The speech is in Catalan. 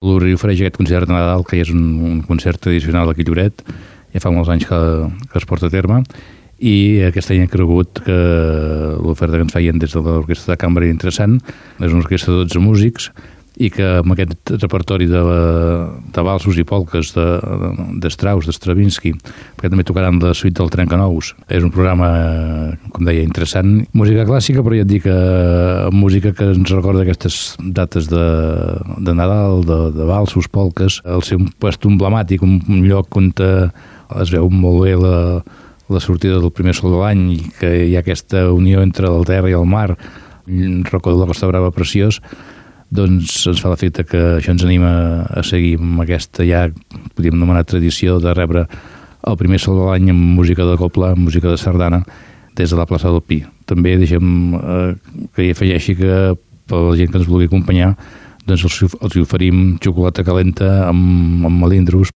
L'Urri ofereix aquest concert de Nadal, que és un concert tradicional aquí a Lloret, ja fa molts anys que es porta a terme, i aquest any he cregut que l'oferta que ens feien des de l'orquestra de cambra era interessant. És una orquestra de 12 músics i que amb aquest repertori de valsos i polques de Strauss, de Stravinsky, perquè també tocaran la suite del Trencanous. És un programa, com deia, interessant. Música clàssica, però ja et dic, música que ens recorda aquestes dates de Nadal, de valsos, polques. El seu puesto emblemàtic, un lloc on es veu molt bé la sortida del primer sol de l'any i que hi ha aquesta unió entre la terra i el mar, un racó de la Costa Brava preciós. Doncs ens fa l'efecte que això ens anima a seguir amb aquesta, ja podríem anomenar, tradició de rebre el primer sol de l'any amb música de cobla, amb música de sardana, des de la plaça del Pi. També deixem que hi afegeixi que per la gent que ens vulgui acompanyar, doncs els oferim xocolata calenta amb melindros